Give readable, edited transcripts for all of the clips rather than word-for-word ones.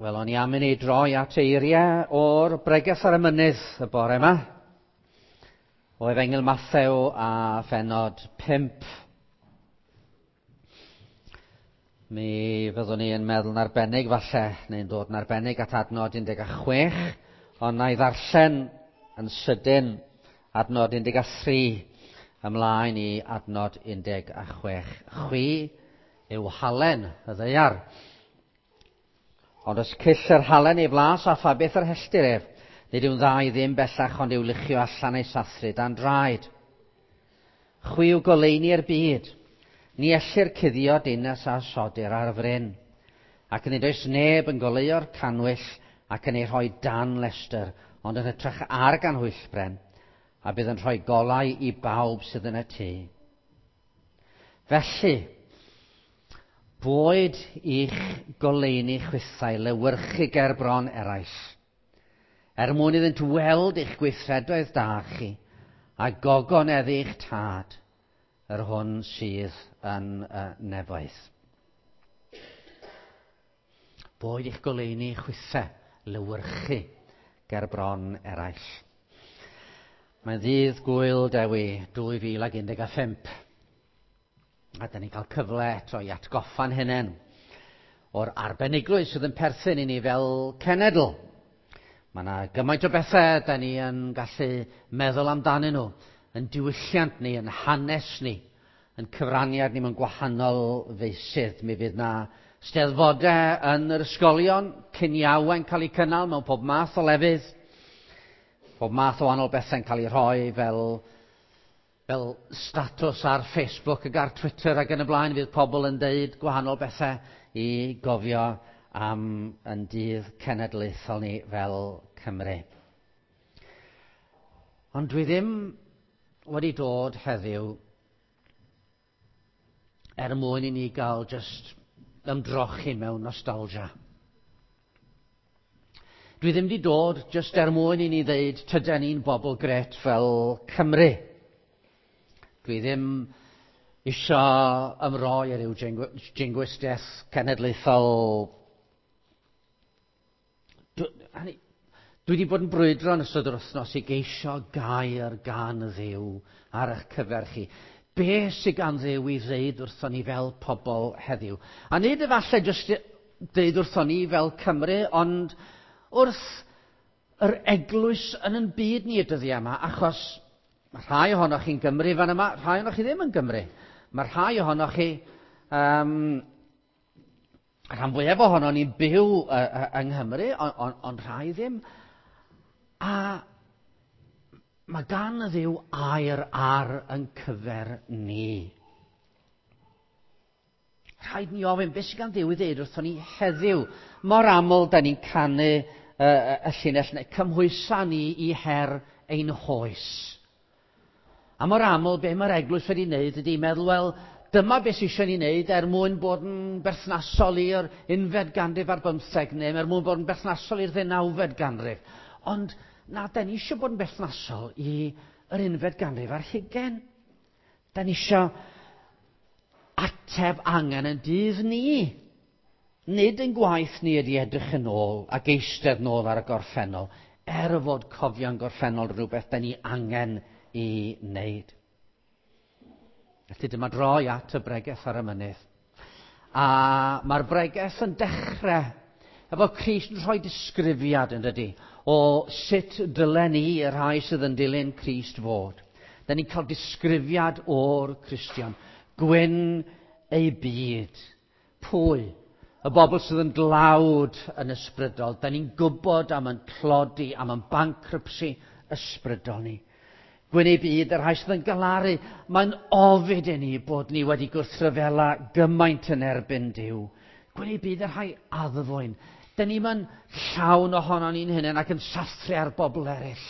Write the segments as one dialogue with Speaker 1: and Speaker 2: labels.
Speaker 1: Wel, o'n i am i ni droi at eiriau o'r Bregeth ar y Mynydd y bore yma, o Efengyl Mathew a phenod 5. Mi fyddwn ni yn meddwl yn arbennig falle, neu'n dod yn arbennig at adnod 16, ond na i ddarllen yn sydyn adnod 13 ymlaen i adnod 16. Chwi yw halen y ddaear. Ond os cyll yr halen ei flas a pha beth yr helltir ef, nid yw'n dda i ddim bellach ond i'w luchio allan ei sathru dan draed. Chwi yw goleuni'r byd. Ni ellir cuddio dinas a sodir ar fryn. Ac nid oes neb yn goleuo'r cannwyll ac yn ei rhoi dan lestr, ond yn hytrach ar ganhwyllbren, a bydd yn rhoi golau i bawb sydd yn y tŷ. Felly, boed i'ch goleuni chwithau lewyrchu ger bron eraill, er mwyn iddynt weld eich gweithredoedd da chi, a gogoneddu eich tad, yr hwn sydd yn y nefoedd. Boed i'ch goleuni chwithau lewyrchu ger bron eraill. Mae'n ddydd Gŵyl Dewi 2015. A da ni'n cael cyfle eto i atgoffa'n hunain o'r arbenigrwydd sydd yn perthyn i ni fel cenedl. Mae yna gymaint o bethau da ni yn gallu meddwl amdanyn nhw, yn diwylliant ni, yn hanes ni, yn cyfraniad ni mewn gwahanol feysydd. Mi fydd na steddfodau yn yr ysgolion, ciniawau'n cael eu cynnal mewn pob math o lefydd, pob math o wahanol bethau'n cael eu rhoi fel, fel statws ar Facebook ac ar Twitter ac yn y blaen. Fydd pobl yn deud gwahanol bethau i gofio am yn dydd cenedlaethol ni fel Cymru. Ond dwi ddim wedi dod heddiw er mwyn i ni gael just ymdrochi mewn nostalgia. Dwi ddim wedi dod just er mwyn i ni ddeud tyden ni'n bobl gret fel Cymru. Dwi ddim isio ymroi ar ryw jingoistiaeth cenedlaethol. Dwi wedi bod yn brwydro yn ystod yr wythnos i geisio gair gan Dduw ar eich cyfer chi. Be sydd gan Dduw i ddeud wrthon ni fel pobl heddiw? A nid efallai jyst deud wrthon ni fel Cymru, ond wrth yr eglwys yn yn byd ni y dyddiau yma, achos mae rhai ohonoch chi'n Gymru fan yma, rhai ohonoch chi ddim yn Gymru. Mae rhai ohonoch chi, rhan fwyaf ohono ni'n byw yng Nghymru, ond on, rhai ddim. A mae gan y Dduw air ar yn cyfer ni. Rhaid ni ofyn, beth sydd gan Dduw i ddeud wrthon ni heddiw? Mor aml da ni'n canu y llinell neu cymhwysa ni i her ein hoes. A mor aml, be mae'r eglwys wedi wneud ydy meddwl, wel, dyma beth sydd eisiau ni wneud er mwyn bod yn berthnasol i'r unfed ganrif ar bymtheg, neu er mwyn bod yn berthnasol i'r ddeunawfed ganrif. Ond na, da ni eisiau bod yn berthnasol i yr unfed ganrif ar hugain. Da ni eisiau ateb angen yn dydd ni. Nid yn gwaith ni ydy edrych yn ôl ac eistedd nôl ar y gorffennol, er fod cofio'n gorffennol rhywbeth da ni angen i wneud. Felly dyma droi at y bregeth ar y mynydd. A mae'r bregeth yn dechrau efo Crist yn rhoi disgrifiad yn dydy o sut dylen ni y rhai sydd yn dilyn Crist fod. Da ni'n cael disgrifiad o'r Cristion. Gwyn ei byd. Pwy? Y bobl sydd yn dlawd yn ysbrydol. Da ni'n gwybod am yn tlodi, am yn bankruptcy ysbrydol ni. Gwyn ei byd, y rhai sydd yn galaru. Mae'n ofid i ni bod ni wedi gwrthryfela gymaint yn erbyn Duw. Gwyn ei byd, y rhai addfwyn. Da ni'n mynd llawn ohono ni'n hunain ac yn sathru ar bobl eraill.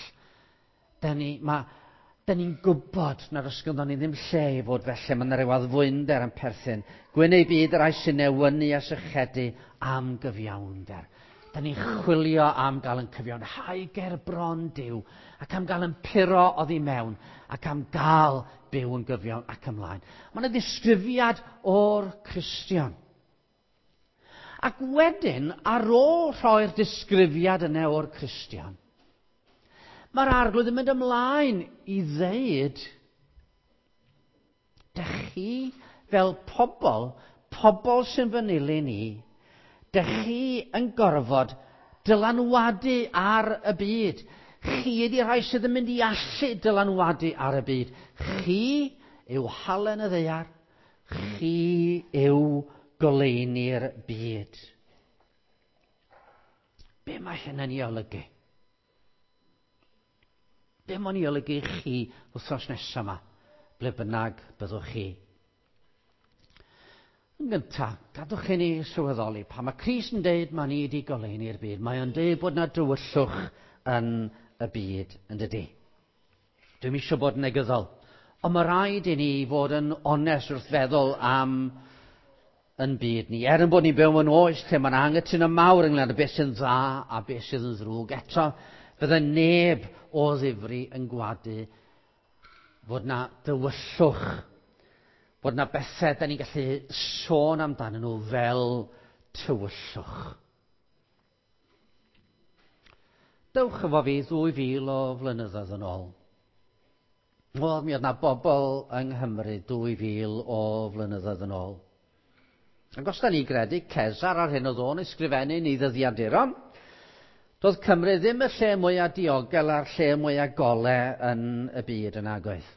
Speaker 1: Da ni'n gwybod nad oes ganddo ni ddim lle i fod felly, mae yna ryw addfwynder yn perthyn. Gwyn ei byd, y rhai sy'n newynu a sychedu am gyfiawnder. Da ni'n chwilio am gael yn cyfiawnhau ger bron Duw, ac am gael yn puro oddi mewn, ac am gael byw yn gyfiawn ac ymlaen. Mae yna ddisgrifiad o'r Cristion. Ac wedyn, ar ôl rhoi'r disgrifiad yna o'r Cristion, mae'r Arglwydd yn mynd ymlaen i ddeud, dych chi fel pobl, pobl sy'n fy nilyn i, dych chi yn gorfod dylanwadu ar y byd. Chi ydy'r rhai sydd yn mynd i allu dylanwadu ar y byd. Chi yw halen y ddaear, chi yw goleuni'r byd. Be mae hynny'n ei olygu? Be mae'n ei olygu i chi wythnos nesaf yma, ble bynnag byddwch chi? Yn gyntaf, gadwch i ni sylweddoli, pan mae Crist yn deud mae ni wedi goleuni'r byd, mae o'n deud bod yna dywyllwch yn y byd, yn dydy. Dwi'm eisiau bod yn negyddol, ond mae rhaid i ni fod yn onest wrth feddwl am yn byd ni. Er yn bod ni'n byw mewn oes lle mae'n anghytuno mawr ynglyn â beth sy'n dda a beth sydd yn ddrwg, eto fydde neb o ddifri yn gwadu fod na dywyllwch, fod na bethau da ni'n gallu sôn amdanyn nhw fel tywyllwch. Dewch efo fi 2000 o flynyddoedd yn ôl. Wel, mi oedd na bobl yng Nghymru 2000 o flynyddoedd yn ôl. Ac os da ni gredu Cesar ar hyn oedd o'n ysgrifennu ni ddyddiaduron, doedd Cymru ddim y lle mwyaf diogel a'r lle mwyaf gole yn y byd yn agoedd.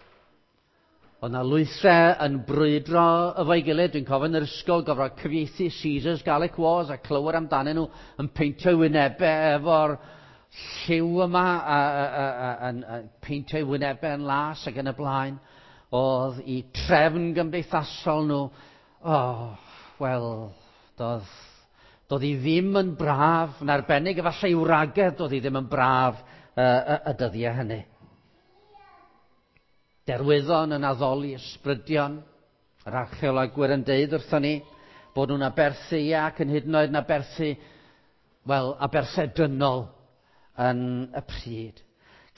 Speaker 1: Oedd na lwythau yn brwydro efo'i gilydd. Dwi'n cofio yn yr ysgol gofro cyfieithu Caesar's Gallic Wars a clywed amdanyn nhw yn peintio wynebau efo'r lliw yma, a peintio wynebau yn las ac yn y blaen. Oedd i trefn gymdeithasol nhw, oh, wel, doedd hi ddim yn braf, yn arbennig efallai i wragedd, doedd hi ddim yn braf y dyddiau hynny. Derwyddon yn addoli ysbrydion, yr archeolegwyr yn deud wrthon ni, bod nhw'n aberthu ac yn hyd yn oed yn aberthu, wel, aberthau dynol yn y pryd.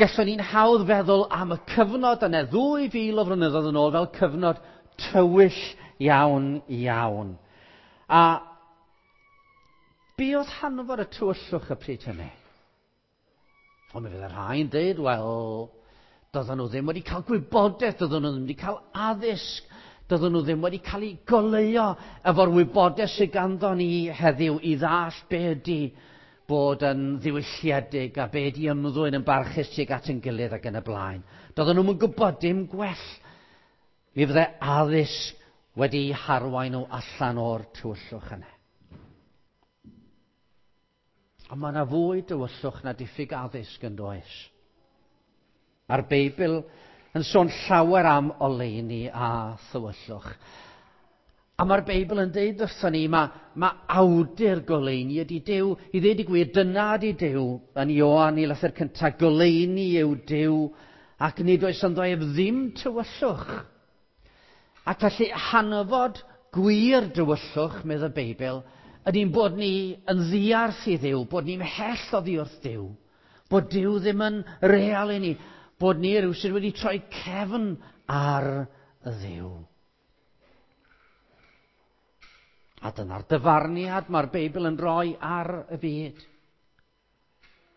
Speaker 1: Gallwn ni'n hawdd feddwl am y cyfnod yna 2000 o flynyddoedd yn ôl fel cyfnod tywyll iawn iawn. A be oedd hanfod y tywyllwch y pryd hynny? Ond mi fydd y rhai'n dweud, wel, doedden nhw ddim wedi cael gwybodaeth, doedden nhw ddim wedi cael addysg, doedden nhw ddim wedi cael eu goleuo efo'r wybodaeth sydd ganddo ni heddiw i ddall be ydy bod yn ddiwylliedig a be ydy ymddwyn yn barchus tuag at yn gilydd ac yn y blaen. Doedden nhw'n gwybod dim gwell. Mi fydde addysg wedi harwain nhw allan o'r tywyllwch yna. Ond mae yna fwy dywyllwch na diffyg addysg yn does. A'r Beibl yn sôn llawer am oleuni a thywyllwch. A mae'r Beibl yn deud wrthon ni, mae awdur goleuni ydy Duw. I ddeud y gwir, dyna ydy Duw. Yn Ioan i lythyr cyntaf, goleuni yw Duw, ac nid oes ynddo ef ddim tywyllwch. Ac felly hanfod gwir dywyllwch, medd y Beibl, ydy'n bod ni yn ddiarth i Dduw, bod ni'n mhell oddi wrth Duw, bod Duw ddim yn real i ni, bod ni rhywsut wedi troi cefn ar y Dduw. A dyna'r dyfarniad mae'r Beibl yn rhoi ar y byd.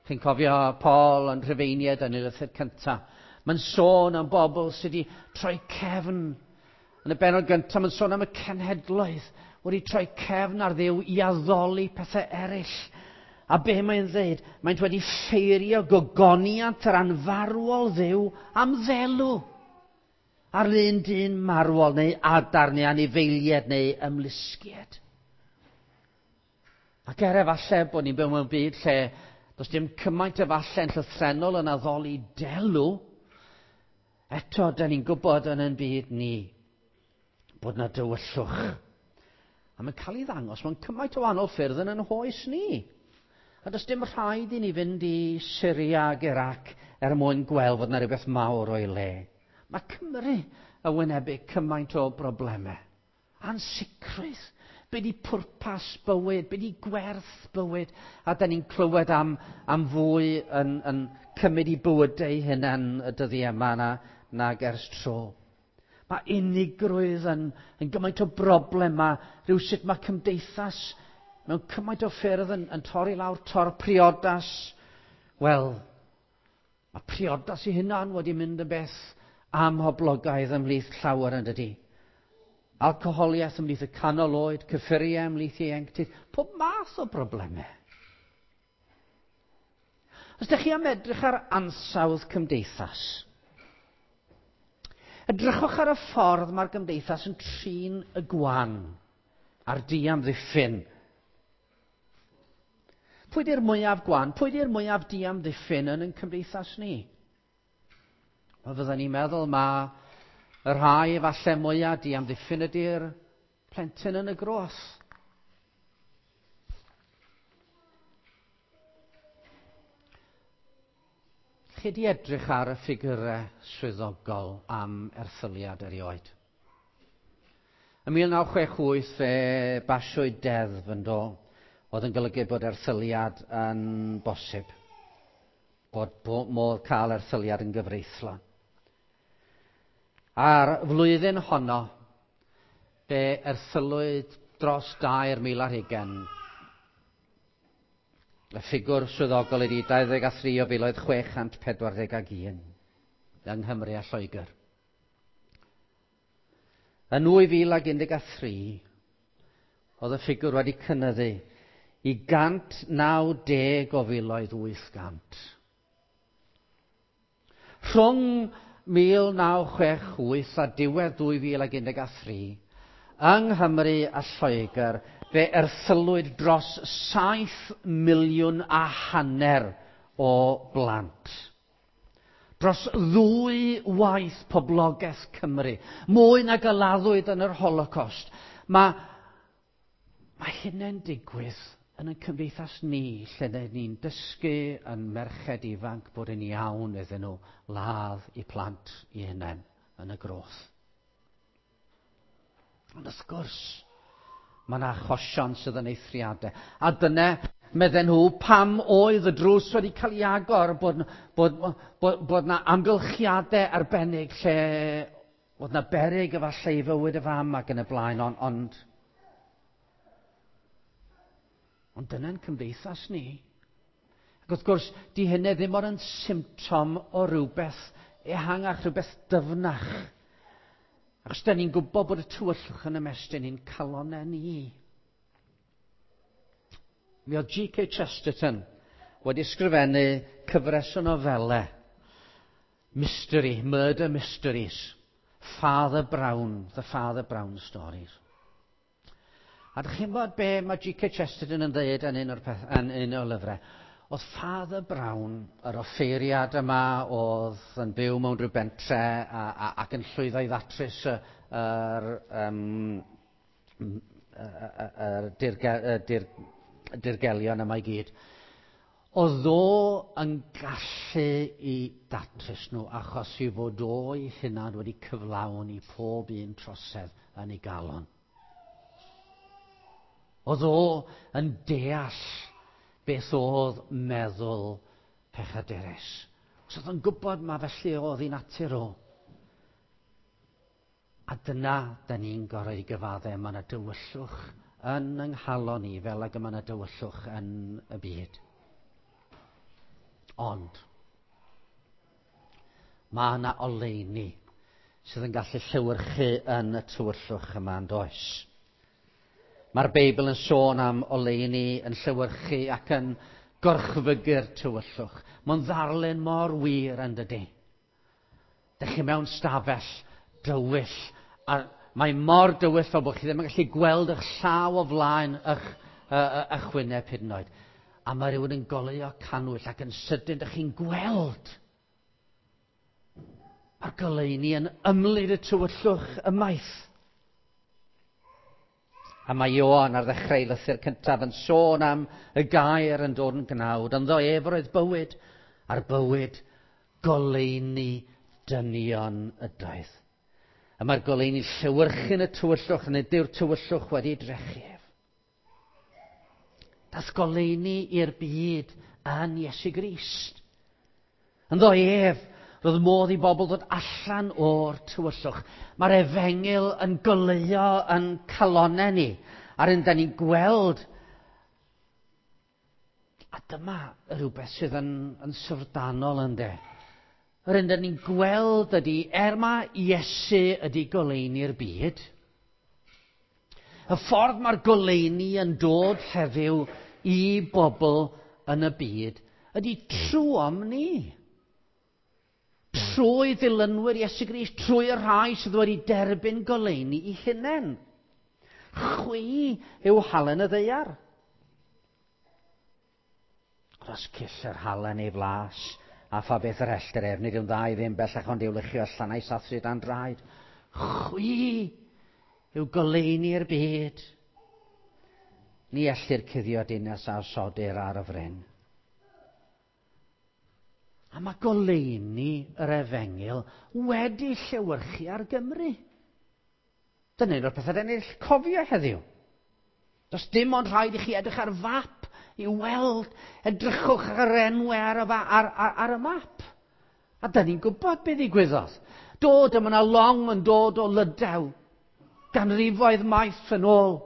Speaker 1: Chi'n cofio Paul yn Rhufeiniaid yn ei lythyr cyntaf. Mae'n sôn am bobl sydd wedi troi cefn. Yn y bennod gyntaf, mae'n sôn am y cenhedloedd wedi troi cefn ar Dduw i addoli pethau eraill. A be mae'n dweud? Mae'n wedi ffeirio gogoniant yr anfarwol Dduw am ddelw. Ar un dyn marwol neu adar neu anifeiliaid neu ymlusgiad. Ac er efallai bod ni'n byw mewn byd lle does dim cymaint efallai yn llythrennol yn addoli delw, eto da ni'n gwybod yn ein byd ni bod na dywyllwch. A mae'n cael ei ddangos mewn cymaint o wahanol ffyrdd yn ein hoes ni. A does dim rhaid i ni fynd i Syria ac Iraq er mwyn gweld fod yna rhywbeth mawr o'i le. Mae Cymru yn wynebu cymaint o broblemau. Ansicrwydd. Be di pwrpas bywyd? Be di gwerth bywyd? A da ni'n clywed am fwy yn cymryd i bywydau hunain y dyddiau yma nag ers tro. Mae unigrwydd yn gymaint o broblemau. Rhywsut mae cymdeithas mewn cymaint o ffyrdd yn torri lawr, tor priodas. Wel, mae priodas i hunan wedi mynd yn beth amhoblogaidd ymhlith llawer yn dydy. Alcoholiaeth ymhlith y canol oed, cyffuriau ymhlith ieuenctid, pob math o broblemau. Os ydych chi am edrych ar ansawdd cymdeithas, edrychwch ar y ffordd mae'r gymdeithas yn trin y gwan a'r diamddiffyn. Pwy di'r mwyaf gwan? Pwy di'r mwyaf diamddiffyn yn ein cymdeithas ni? Wel, fydden ni'n meddwl mae y rhai efallai mwyaf diamddiffyn ydy'r plentyn yn y groth. Chi di edrych ar y ffigurau swyddogol am erthyliad erioed? Ym 1968 fe basiwyd deddf yn do, oedd yn golygu bod erthyliad yn bosib, bod modd cael erthyliad yn gyfreithlon. A'r flwyddyn honno, fe erthylwyd dros 2,020. Y ffigwr swyddogol ydy 23,641 yng Nghymru a Lloegr. Yn 2013, oedd y ffigwr wedi cynyddu i 190,800. Rhwng 1968 a diwedd 2013, yng Nghymru a Lloegr, fe erthylwyd dros 7 miliwn a hanner o blant. Dros ddwy waith poblogaeth Cymru, mwy nag a laddwyd yn yr Holocaust. Mae hynny'n digwydd yn ein cymdeithas ni, lle ni'n dysgu yn merched ifanc bod yn iawn iddyn nhw ladd eu plant eu hunain yn y groth. Ond wrth gwrs, mae yna achosion sydd yn eithriadau. A dyna, medden nhw, pam oedd y drws wedi cael ei agor, bod yna amgylchiadau arbennig lle oedd yna beryg efallai i fywyd y fam ac yn y blaen, ond dyna'n cymdeithas ni. Ac wrth gwrs, di hynny ddim ond yn symptom o rywbeth ehangach, rhywbeth dyfnach. Achos da ni'n gwybod bod y tywyllwch yn ymestyn i'n calonnau ni. Mi oedd G.K. Chesterton wedi ysgrifennu cyfres o nofelau. Mystery, murder mysteries. Father Brown, the Father Brown stories. A dych chi'n gwybod be mae G.K. Chesterton yn dweud yn un o'r lyfrau? Oedd Father Brown, yr offeiriad yma, oedd yn byw mewn rhyw bentre ac yn llwyddo i ddatrys yr dirgelion yma i gyd. Oedd o yn gallu i datrys nhw achos i fod o'i hunan wedi cyflawni pob un trosedd yn ei galon. Oedd o yn deall beth oedd meddwl pechadurus. Os oedd yn gwybod ma felly oedd ei natur o. A dyna da ni'n gorau i gyfaddau, mae yna dywyllwch yn yng nghalon ni fel ag mae yna dywyllwch yn y byd. Ond mae yna oleuni sydd yn gallu llewyrchu yn y tywyllwch yma yn does. Mae'r Beibl yn sôn am oleuni yn llewyrchu ac yn gorchfygu'r tywyllwch. Mae'n ddarlun mor wir yn dydy. Dych chi mewn stafell dywyll, a mae mor dywyll fel bod chi ddim yn gallu gweld eich llaw o flaen eich wyneb hyd yn oed. A mae rhywun yn goleuo cannwyll ac yn sydyn dych chi'n gweld. Mae'r goleuni yn ymlid y tywyllwch ymaith. A mae Ioan ar ddechrau ei lythyr cyntaf yn sôn am y gair yn dod yn gnawd. Ynddo ef oedd bywyd, a'r bywyd goleuni dynion ydoedd. A mae'r goleuni llewyrchu'n y tywyllwch, nid yw'r tywyllwch wedi drechu ef. Dath goleuni i'r byd yn Iesu Grist. Ynddo ef, roedd modd i bobl ddod allan o'r tywyllwch. Mae'r efengyl yn goleuo yn calonnau ni. A'r un da ni'n gweld A dyma rhywbeth sydd yn syfrdanol, ynde. Yr un dyn ni'n gweld ydy, er mae Iesu ydy goleuni'r byd, y ffordd mae'r goleuni yn dod heddiw i bobl yn y byd ydy trwom ni. Trwy ddilynwyr Iesu Grist, trwy y rhai sydd wedi derbyn goleuni i hunain. Chwi yw halen y ddaear. Os cyll yr halen ei flas, a pha beth yr hellter ef, nid yw'n dda i ddim bellach ond i'w luchio allan a'i sathru dan draed. Chwi yw goleuni'r byd. Ni ellir cuddio dinas a osodir ar y fryn. A mae goleuni yr efengyl wedi llewyrchu ar Gymru. Dyna un o'r pethau dyn ni'n cofio heddiw. Does dim ond rhaid i chi edrych ar fap i weld, edrychwch ar yr enwau ar y map. A dyn ni'n gwybod beth ddigwyddodd. Dod, yma yna long yn dod o Lydaw, ganrifoedd maith yn ôl.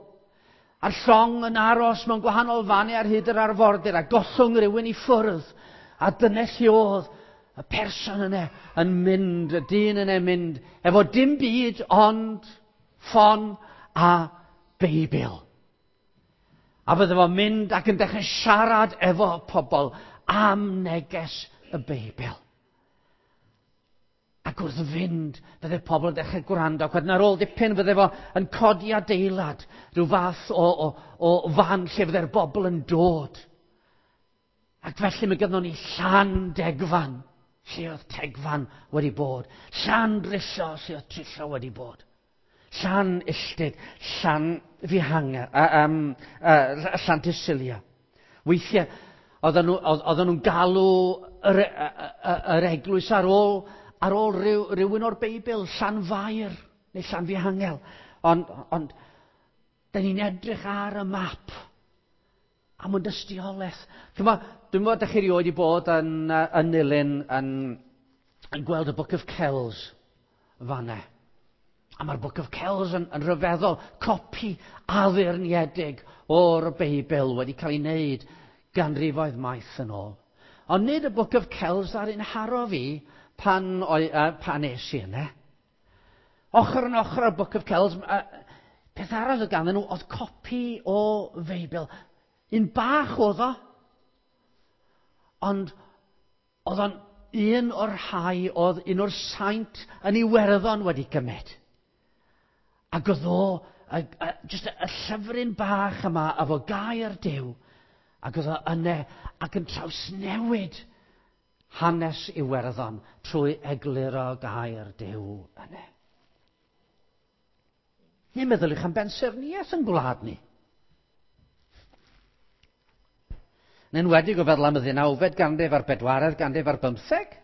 Speaker 1: A'r llong yn aros mewn gwahanol fannau ar hyd yr arfordir a gollwng rhywun i ffwrdd. A dyna lle oedd y person yna yn mynd, y dyn yna yn mynd, efo dim byd ond ffon a Beibl. A fydde fo'n mynd ac yn dechrau siarad efo pobl am neges y Beibl. Ac wrth fynd, fydde pobl yn dechrau gwrando. Ac wedyn ar ôl dipyn fydde fo yn codi adeilad, rhyw fath o fan lle fydde'r bobl yn dod. Ac felly mae gynnon ni Llandegfan, lle oedd Tegfan wedi bod. Llandrillo, lle oedd Trillo wedi bod. Llanilltud, Llanfihangel, Llantysilio. Weithiau, oedden nhw'n galw yr eglwys ar ôl rhywun o'r Beibl, Llanfair neu Llanfihangel. Ond dyn ni'n edrych ar y map am yn dystiolaeth. Dwi'n meddwl ydych chi erioed i bod yn Nulyn yn gweld y Book of Kells fanna. A mae'r Book of Kells yn rhyfeddol, copi addurniedig o'r Beibl wedi cael ei wneud ganrifoedd maith yn ôl. Ond nid y Book of Kells ar un haro fi pan es i yna. Ochr yn ochr o'r Book of Kells, peth arall oedd ganddyn nhw oedd copi o Feibl. Un bach oedd o, ond oedd o'n un o'r rhai oedd un o'r saint yn Iwerddon wedi gymryd. Ac oedd o, just y llyfryn bach yma, efo gair Duw, ac oedd o yna ac yn trawsnewid hanes Iwerddon trwy egluro gair Duw yna. Ni'n meddyliwch am bensaernïaeth yn gwlad ni. Yn enwedig o feddwl am y 19fed ganrif a'r 4th ganrif a'r 15.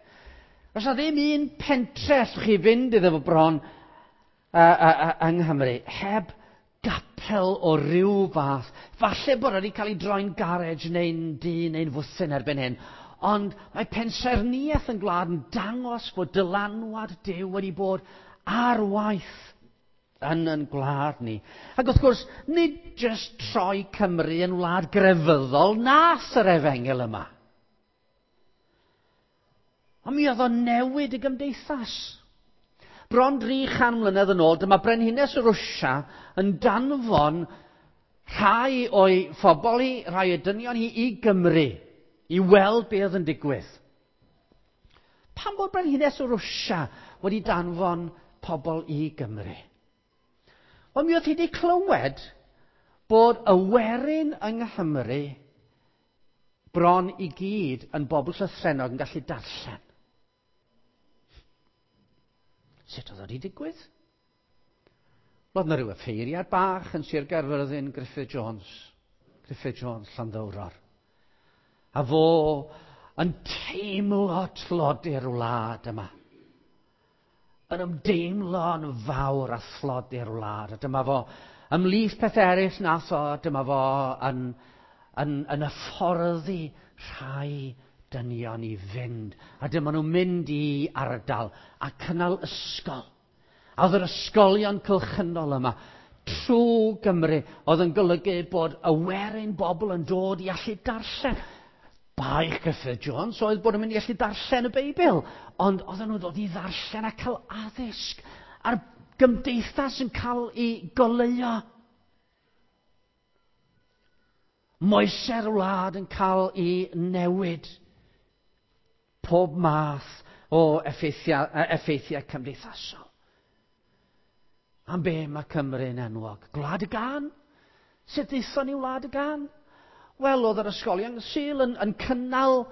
Speaker 1: Oes na ddim un pentre allwch chi fynd iddo fo bron yng Nghymru heb gapel o ryw fath. Falle bod wedi cael ei droi'n garej neu'n dŷ neu'n fwthyn erbyn hyn. Ond mae pensaernïaeth yn gwlad yn dangos bod dylanwad Duw wedi bod ar waith yn gwlad ni. Ac wrth gwrs, nid jyst troi Cymru yn wlad grefyddol nath yr efengyl yma. Ond mi oedd o'n newid y gymdeithas. Bron 300 mlynedd yn ôl, dyma Brenhines Rwsia yn danfon rhai o'i phobl hi, rhai o'i dynion hi i Gymru, i weld be oedd yn digwydd. Pam bod Brenhines Rwsia wedi danfon pobl i Gymru? Wel, mi oedd hi wedi clywed bod y werin yng Nghymru bron i gyd yn bobl llythrennog yn gallu darllen. Sut oedd o wedi digwydd? Roedd yna rhyw offeiriad bach yn Sir Gaerfyrddin, Griffith Jones, Llanddowror. A fo yn teimlo tlodi'r wlad yma. Yn ymdeimlo'n fawr a thlodi'r wlad. A dyma fo, ymhlith peth eraill nath o, dyma fo yn hyfforddi rhai dynion i fynd. A dyma nhw'n mynd i ardal a cynnal ysgol. A oedd yr ysgolion cylchynol yma trwy Gymru oedd yn golygu bod y werin bobl yn dod i allu darllen. Baich Gruffydd Jones oedd bod yn mynd i allu darllen y Beibl, ond oedden nhw'n dod i ddarllen a cael addysg, a'r gymdeithas yn cael ei goleuo. Moesau'r wlad yn cael ei newid. Pob math o effeithiau, effeithiau cymdeithasol. Am be mae Cymru'n enwog? Gwlad y Gân? Sut ddaethon ni Wlad y Gân? Wel, oedd yr ysgolion Sul yn cynnal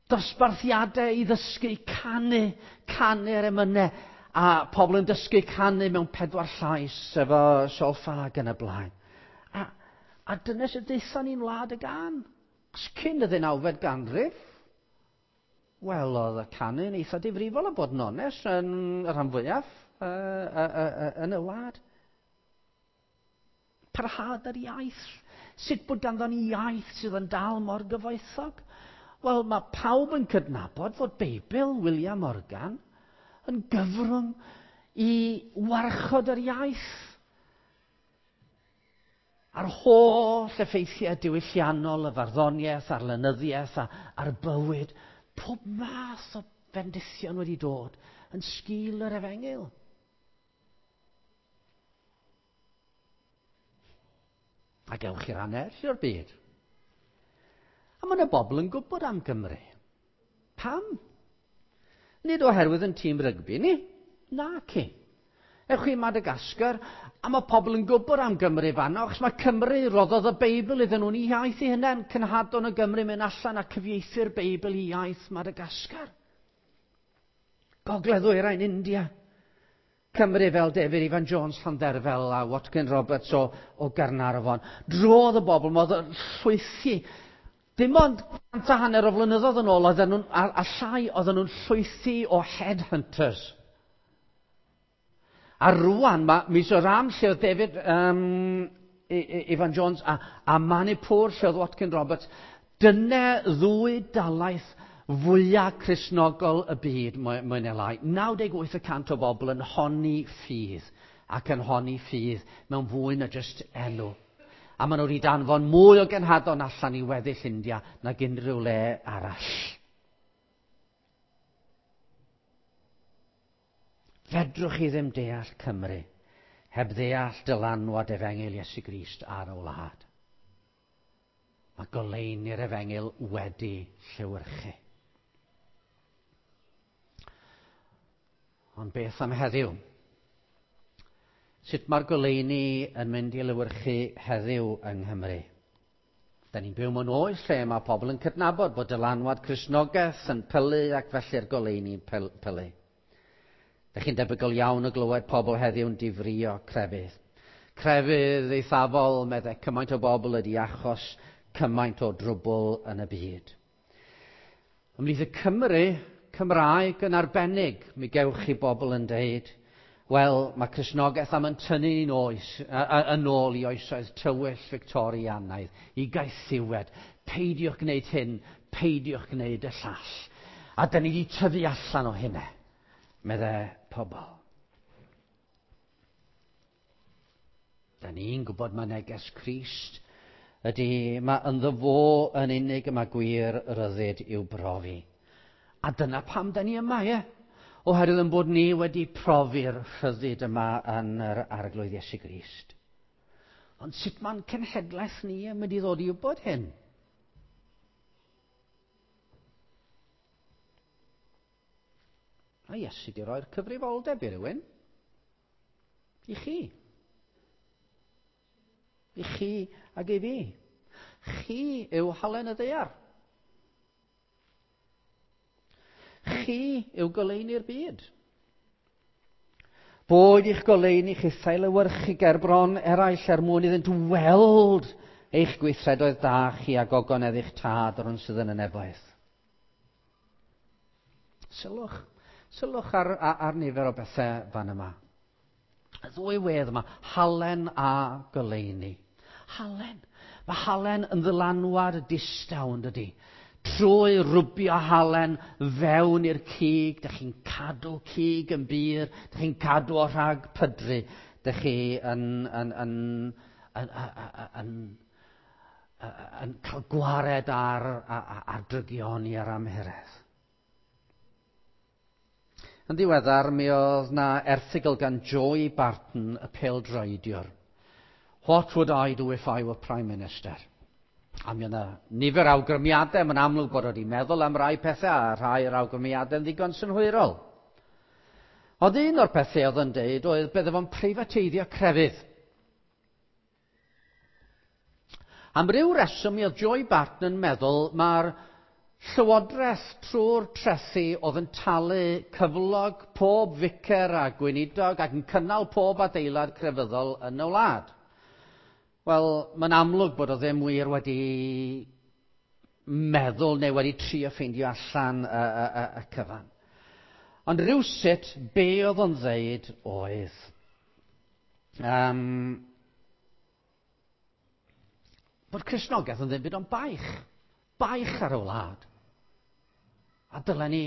Speaker 1: dosbarthiadau i ddysgu canu, canu'r emynau, a pobl yn dysgu canu mewn 4 llais efo solffa ac yn y blaen. A dyna sut ddaethon ni'n Wlad y Gân. Achos cyn y ddeunawfed ganrif, wel, oedd y canu yn eitha difrifol, a bod yn onest, yn y rhan fwyaf yn y wlad. Parhad yr iaith. Sut bod ganddo ni iaith sydd yn dal mor gyfoethog? Wel, mae pawb yn cydnabod fod Beibl William Morgan yn gyfrwng i warchod yr iaith. A'r holl effeithiau diwylliannol, y farddoniaeth, a'r lenyddiaeth, a'r bywyd, pob math o fendithion wedi dod yn sgil yr efengyl. A gewch chi ran eraill o'r byd. A mae yna bobl yn gwybod am Gymru. Pam? Nid oherwydd yn tîm rygbi ni. Naci. Ewch chi i Madagascar, a mae pobl yn gwybod am Gymru fanno, achos mae Cymru roddodd y Beibl iddyn nhw'n eu iaith eu hunain. Cenhadon o Gymru mynd allan a cyfieithu'r Beibl i iaith Madagascar. Gogledd Ddwyrain India. Cymru fel David Ifan Jones Llandderfel a Watkin Roberts o Gaernarfon. Drodd y bobl, modd llwythi. Dim ond 150 o flynyddoedd yn ôl, oedden nhw'n, a llai, oedden nhw'n llwythi o headhunters. A rwan, mae Mizoram, lle oedd David Ifan Jones, a Manipur, lle oedd Watkin Roberts, dyna ddwy dalaith fwyaf Cristnogol y byd, mwy neu lai. 98% o bobl yn honni ffydd, ac yn honni ffydd mewn fwy na jyst enw. A maen nhw wedi danfon mwy o genhadon allan i weddill India nag unrhyw le arall. Fedrwch chi ddim deall Cymru heb ddeall dylanwad efengyl Iesu Grist ar y wlad. Mae goleuni'r efengyl wedi llewyrchu. Ond beth am heddiw? Sut mae'r goleuni yn mynd i lewyrchu heddiw yng Nghymru? Da ni'n byw mewn oes lle mae pobl yn cydnabod bod dylanwad Cristnogaeth yn pylu ac felly'r goleuni'n pylu. Da chi'n debygol iawn o glywed pobl heddiw'n difrio crefydd. Crefydd eithafol, meddai cymaint o bobl ydi achos cymaint o drwbl yn y byd. Ymhlith y Cymry, Cymraeg yn arbennig, mi gewch chi bobl yn deud, wel, mae Cristnogaeth am yn tynnu ni'n oes, yn ôl i oesoedd tywyll Victorianaidd, i gaethiwed. Peidiwch gwneud hyn, peidiwch gwneud y llall. A da ni wedi tyfu allan o hynna, meddai pobl. Da ni'n gwybod mae neges Crist ydy, mae ynddo fo yn unig y mae gwir ryddid i'w brofi. A dyna pam da ni yma, ie? Oherwydd yn bod ni wedi profi'r rhyddid yma yn yr Arglwydd Iesu Grist. Ond sut mae'n cenhedlaeth ni yn mynd i ddod i wybod hyn? A Iesu di roi'r cyfrifoldeb i rywun. I chi. I chi ag i fi. Chi yw halen y ddaear. Chi yw goleuni'r byd. Boed i'ch goleuni chithau lewyrchu ger bron eraill er mwyn iddynt weld eich gweithredoedd da chi a gogonedd eich tad o'r un sydd yn y nefoedd. Sylwch ar nifer o bethau fan yma. Y ddwy wedd yma, halen a goleuni. Halen. Mae halen yn ddylanwad distaw, yn dydi? Trwy rwbio halen fewn i'r cig, dych chi'n cadw cig yn bur, dych chi'n cadw o rhag pydru, dych chi yn yn cael gwared ar drygioni a'r amhuredd. Yn ddiweddar, mi oedd na erthygl gan Joey Barton, y pêl-droediwr. "What would I do if I were Prime Minister?" A mi oedd yna nifer awgrymiadau, mae'n amlwg bod wedi meddwl am rai pethau, a rhai o'r awgrymiadau yn ddigon synhwyrol. Ond un o'r pethau oedd yn deud oedd bydde fo'n preifateiddio crefydd. Am ryw reswm mi oedd Joey Barton yn meddwl mae'r llywodraeth trwy'r trethi oedd yn talu cyflog pob ficer a gweinidog ac yn cynnal pob adeilad crefyddol yn y wlad. Wel, mae'n amlwg bod o ddim wir wedi meddwl neu wedi trio ffeindio allan y cyfan. Ond rhywsut, be oedd o'n ddeud oedd bod Cristnogaeth yn ddim byd ond baich. Baich ar y wlad. A dylen ni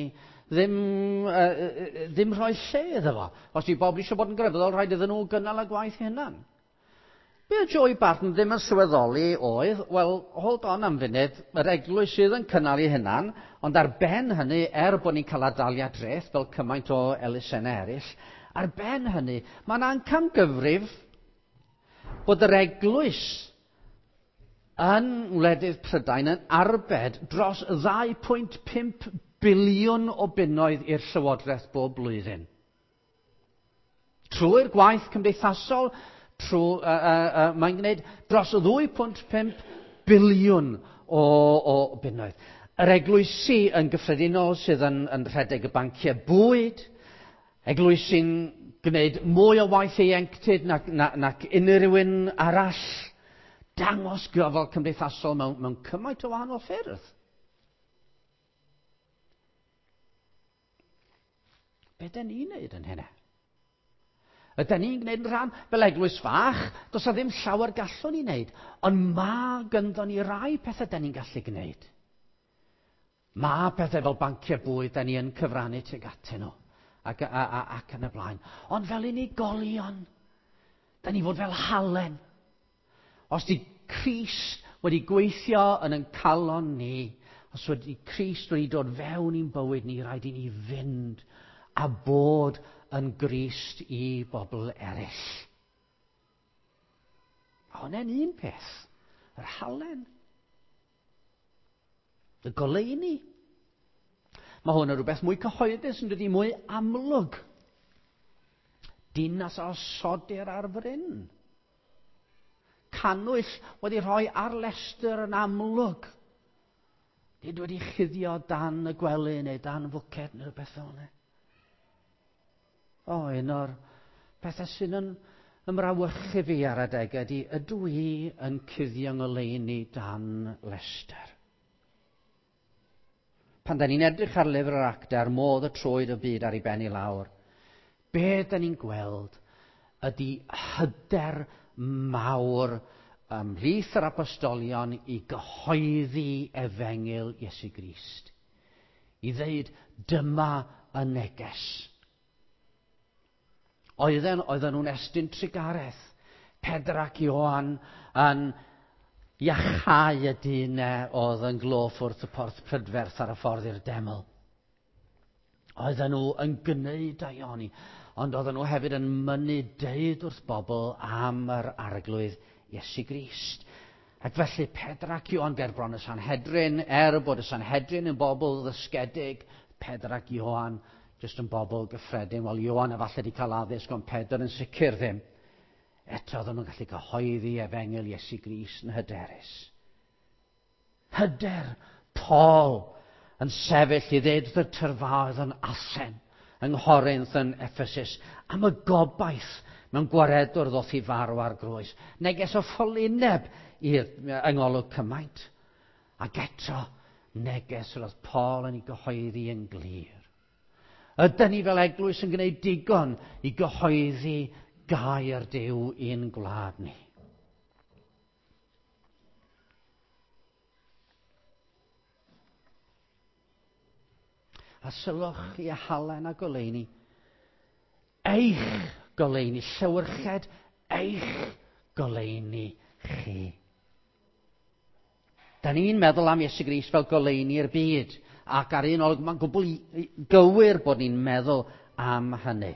Speaker 1: ddim rhoi lle iddo fo. Os di bobl eisiau bod yn grefyddol, rhaid iddyn nhw gynnal y gwaith hunan. Be oedd Joey Barton ddim yn sylweddoli oedd, wel, hold on am funud, yr eglwys sydd yn cynnal ei hunan, ond ar ben hynny, er bod ni'n cael adaliad dreth fel cymaint o elusennau eraill, ar ben hynny, mae'n amcangyfrif bod yr eglwys yn wledydd Prydain yn arbed dros 2.5 biliwn o bunnoedd i'r llywodraeth bob blwyddyn. Trwy'r gwaith cymdeithasol, mae'n gwneud dros 2.5 biliwn o bunnoedd. Yr eglwysi yn gyffredinol sydd yn rhedeg y banciau bwyd, eglwysi'n gwneud mwy o waith ieuenctid nac unrhyw un arall, dangos gofal cymdeithasol mewn cymaint o wahanol ffyrdd. Be dyn ni'n neud yn hynna? Ydyn ni'n gwneud yn rhan fel eglwys fach? Does 'na ddim llawer gallwn ni wneud, ond mae gynddon ni rai pethau dyn ni'n gallu gwneud. Mae pethau fel banciau bwyd dyn ni yn cyfrannu tuag atyn nhw, ac yn y blaen. Ond fel unigolion, dyn ni fod fel halen. Os di Crist wedi gweithio yn ein calon ni, os wedi Crist wedi dod fewn i'n bywyd ni, rhaid i ni fynd a bod yn Grist i bobl eraill. A hwnna'n un peth, yr halen. Y goleuni. Mae hwn yn rhywbeth mwy cyhoeddus yn dydi, mwy amlwg. Dinas a osodir ar fryn. Cannwyll wedi rhoi ar lestr yn amlwg. Nid wedi chuddio dan y gwely neu dan fwced neu rhywbeth fel yna. O, un o'r pethau sy'n yn ymrawychu fi ar adegau ydy, ydw i yn cuddio ngoleuni dan lestr? Pan da ni'n edrych ar lyfr yr Actau, a'r modd y troed y byd ar ei ben i lawr, be da ni'n gweld ydy hyder mawr ymhlith yr apostolion i gyhoeddi efengyl Iesu Grist. I ddeud, dyma y neges. Oedden nhw'n estyn trugaredd. Pedr ac Ioan yn iachau y dyn oedd yn gloff wrth y porth prydferth ar y ffordd i'r deml. Oedden nhw yn gwneud daioni, ond oedden nhw hefyd yn mynnu deud wrth bobl am yr Arglwydd Iesu Grist. Ac felly Pedr ac Ioan ger bron y Sanhedrin, er bod y Sanhedrin yn bobl ddysgedig, Pedr ac Ioan jyst yn bobl gyffredin. Wel, Ioan efallai wedi cael addysg, ond Pedr yn sicr ddim. Eto oedden nhw'n gallu cyhoeddi efengyl Iesu Grist yn hyderus. Hyder Paul yn sefyll i ddeud wrth y tyrfaoedd yn Athen, yng Nghorinth, yn Ephesus, am y gobaith mewn gwaredwr ddoth i farw ar groes. Neges o ffolineb i'r yng ngolwg cymaint. Ac eto, neges roedd Paul yn ei gyhoeddi yn glir. Ydyn ni fel eglwys yn gwneud digon i gyhoeddi gair Duw i'n gwlad ni? A sylwch i halen a goleuni. Eich goleuni, llewyrched eich goleuni chi. Da ni'n meddwl am Iesu Grist fel goleuni'r byd, ac ar un olwg mae'n gwbl gywir bod ni'n meddwl am hynny.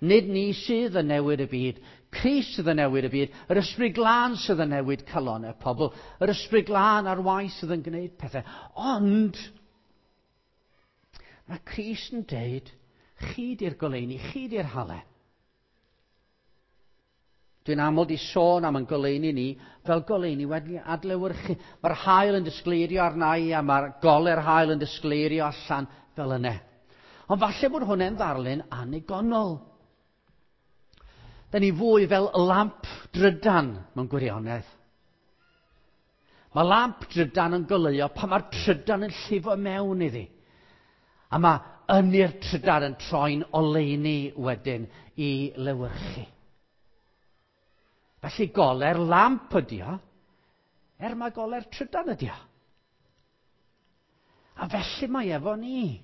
Speaker 1: Nid ni sydd yn newid y byd, Crist sydd yn newid y byd, yr Ysbryd Glân sydd yn newid calonnau pobl, yr Ysbryd Glân ar waith sydd yn gwneud pethau. Ond, mae Crist yn deud, chi di'r goleuni, chi di'r halen. Dwi'n aml di sôn am yn goleuni ni fel goleuni wedi adlewyrchu. Mae'r haul yn disgleirio arna i a mae'r gole'r haul yn disgleirio allan fel yna. Ond falle bod hwnna'n ddarlun annigonol. Da ni fwy fel lamp drydan mewn gwirionedd. Mae lamp drydan yn goleuo pan mae'r trydan yn llifo mewn iddi. A mae ynni'r trydan yn troi'n oleuni wedyn i lewyrchu. Felly gole'r lamp ydi o, er mae gole'r trydan ydi o. A felly mae efo ni.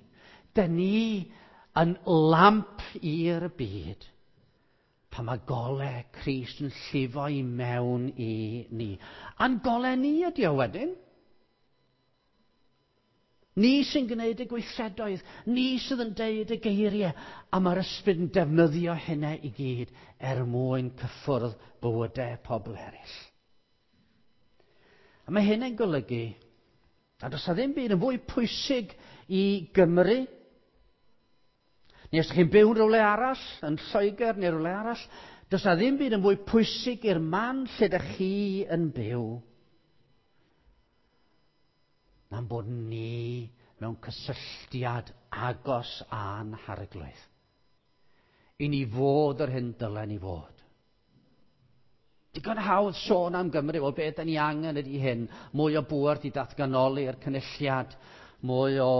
Speaker 1: Dyn ni yn lamp i'r byd. Pan mae gole Crist yn llifo i mewn i ni. A'n gole ni ydi o wedyn. Ni sy'n gwneud y gweithredoedd, ni sydd yn deud y geiriau, a mae'r ysbryd yn defnyddio hynna i gyd er mwyn cyffwrdd bywydau pobl eraill. A mae hyn yn golygu, a does 'na ddim byd yn fwy pwysig i Gymru, neu os ydych chi'n byw yn rhywle arall, yn Lloegr neu rhywle arall, does 'na ddim byd yn fwy pwysig i'r man lle ydych chi yn byw, na'n bod ni mewn cysylltiad agos â'n Harglwydd. I ni fod yr hyn dylen ni fod. Digon hawdd sôn am Gymru, wel beth da ni angen ydy hyn, mwy o bŵer di datganoli i'r cynulliad, mwy o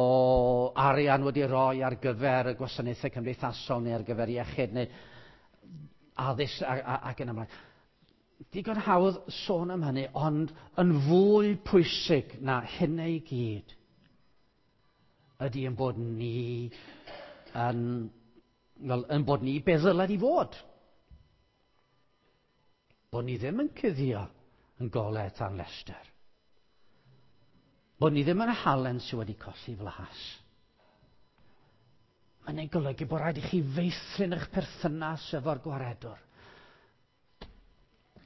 Speaker 1: arian wedi roi ar gyfer y gwasanaethau cymdeithasol neu ar gyfer iechyd neu addysg ac yn ymlaen. Digon hawdd sôn am hynny, ond yn fwy pwysig na hynny i gyd ydy yn bod ni yn, wel, yn bod ni be ddylen ni fod. Bod ni ddim yn cuddio yn golau tan lestr. Bod ni ddim yn halen sydd wedi colli flas. Mae'n ei golygu bod rhaid i chi feithrin eich perthynas efo'r gwaredwr.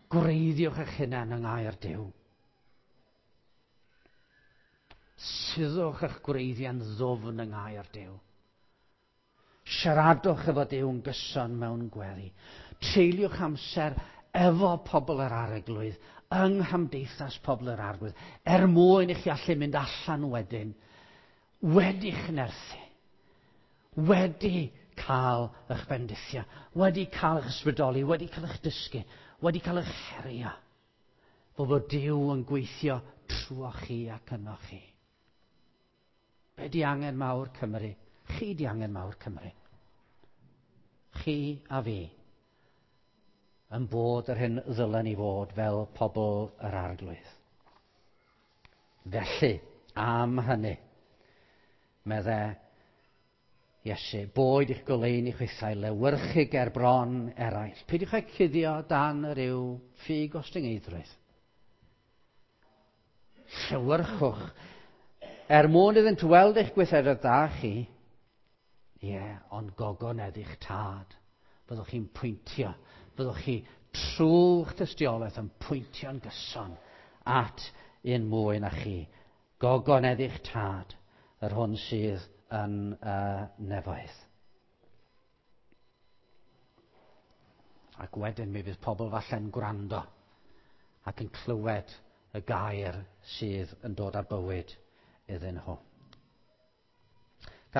Speaker 1: Gwreiddiwch eich hunain yng ngair Duw. Suddwch eich gwreiddiau'n ddwfn yng ngair Duw. Siaradwch efo Duw yn gyson mewn gweddi. Treuliwch amser efo pobl yr Arglwydd, yng nghymdeithas pobl yr Arglwydd, er mwyn i chi allu mynd allan wedyn, wedi'ch nerthu, wedi cael eich bendithio, wedi cael eich ysbrydoli, wedi cael eich dysgu, wedi cael eich herio, fel bod Duw yn gweithio trwoch chi ac ynoch chi. Be di angen mawr Cymru? Chi di angen mawr Cymru. Chi a fi yn bod yr hyn ddylen ni fod fel pobl yr Arglwydd. Felly, am hynny, medde Iesu, boed i'ch goleuni chwithau lewyrchu ger bron eraill. Peidiwch â cuddio dan ryw ffug ostyngeiddrwydd. Llewyrchwch. Er mwyn iddynt weld eich gweithredoedd da chi, ie, ond gogonedd i'ch tad. Byddwch chi'n pwyntio, byddwch chi trwy'ch tystiolaeth yn pwyntio'n gyson at un mwy na chi. Gogonedd i'ch tad, yr hwn sydd yn y nefoedd. Ac wedyn mi fydd pobl falle'n gwrando ac yn clywed y gair sydd yn dod â bywyd iddyn nhw.